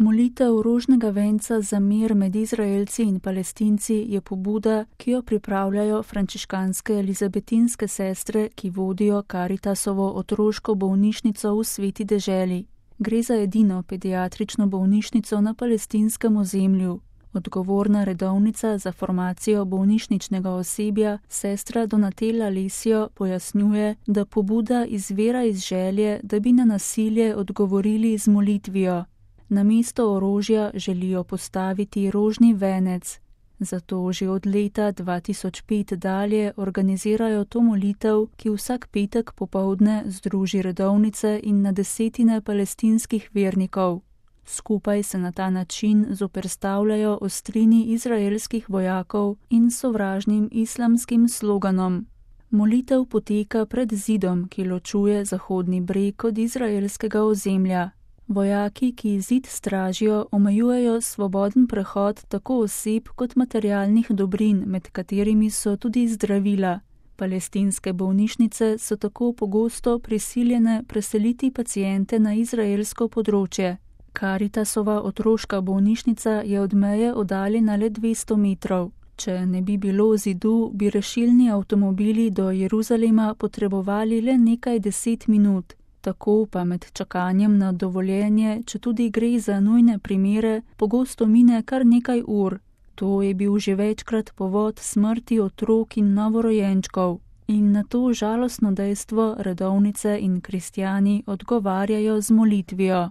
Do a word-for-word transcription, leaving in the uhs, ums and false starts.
Molitev rožnega venca za mir med Izraelci in Palestinci je pobuda, ki jo pripravljajo frančiškanske elizabetinske sestre, ki vodijo Karitasovo otroško bolnišnico v Sveti deželi. Gre za edino pediatrično bolnišnico na palestinskem ozemlju. Odgovorna redovnica za formacijo bolnišničnega osebja, sestra Donatella Lesio, pojasnjuje, da pobuda izvira iz želje, da bi na nasilje odgovorili z molitvijo. Namesto orožja želijo postaviti rožni venec. Zato že od leta dva tisoč pet dalje organizirajo to molitev, ki vsak petek popoldne združi redovnice in na desetine palestinskih vernikov. Skupaj se na ta način zoperstavljajo ostrini izraelskih vojakov in sovražnim islamskim sloganom. Molitev poteka pred zidom, ki ločuje Zahodni breg od izraelskega ozemlja. Vojaki, ki zid stražijo, omejujejo svoboden prehod tako oseb kot materialnih dobrin, med katerimi so tudi zdravila. Palestinske bolnišnice so tako pogosto prisiljene preseliti paciente na izraelsko področje. Karitasova otroška bolnišnica je od meje oddaljena le dvesto metrov. Če ne bi bilo zidu, bi rešilni avtomobili do Jeruzalema potrebovali le nekaj deset minut. Tako pa med čakanjem na dovoljenje, če tudi gre za nujne primere, pogosto mine kar nekaj ur. To je bil že večkrat povod smrti otrok in novorojenčkov. In na to žalostno dejstvo redovnice in kristjani odgovarjajo z molitvijo.